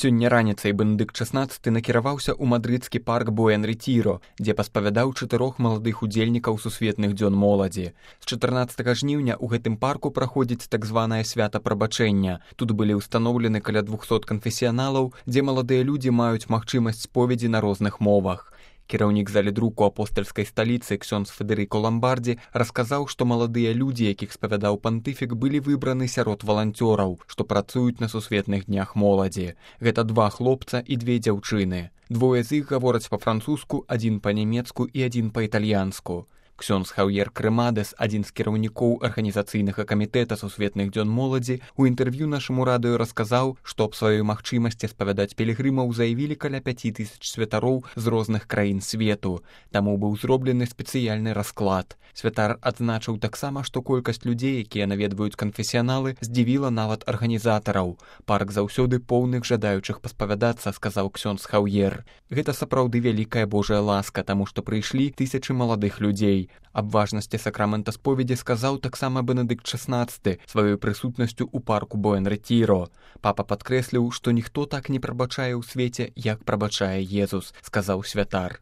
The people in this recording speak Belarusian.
Сёння раніцай Бенедыкт XVI накіраваўся ў мадрыдскі парк Буэн-Рэтіро, дзе паспавядаў 4 маладых удзельнікаў сусветных дзён моладзі. З 14 жніўня ў гэтым парку праходзіць так званае свята прабачэння. Тут былі ўстаноўлены каля 200 канфесіяналаў, дзе маладыя людзі маюць магчымасць споведзі на розных мовах. Кіраўнік залідруку апостальскай сталіцы ксёндз Федэрыко Ламбардзі расказаў, што маладыя людзі, якіх спавядаў пантыфік, былі выбраны сярод валанцёраў, што працуюць на сусветных днях моладзі. Гэта 2 хлопца і 2 дзяўчыны. 2 з іх гавораць па-французску, 1 па-нямецку і 1 па-італьянску. Ксёндз Хаўер Крэмадес, адзін з кіраўнікоў арганізацыйнага камітэта сусветных дзён моладзі, у інтэрв'ю нашаму радыё расказаў, што аб сваёй магчымасці спавядаць пілігрымаў заявілі каля 5000 святароў з розных краін свету. Таму быў зроблены спецыяльны расклад. Святар адзначыў таксама, што колькасць людзей, якія наведваюць канфесіяналы, здзівіла нават арганізатараў. Парк заўсёды поўных жадаючых паспавядацца, сказаў ксёндз Хаўер. Гэта сапраўды вялікая Божая ласка, таму што прыйшлі тысячы маладых людзей. Аб важнасці сакрамента споведзі сказаў таксама Бенедыкт XVI сваёй прысутнасцю ў парку Буэн-Рэтіро. Папа падкрэсліў, што ніхто так не прабачае ў свеце, як прабачае Езус, сказаў святар.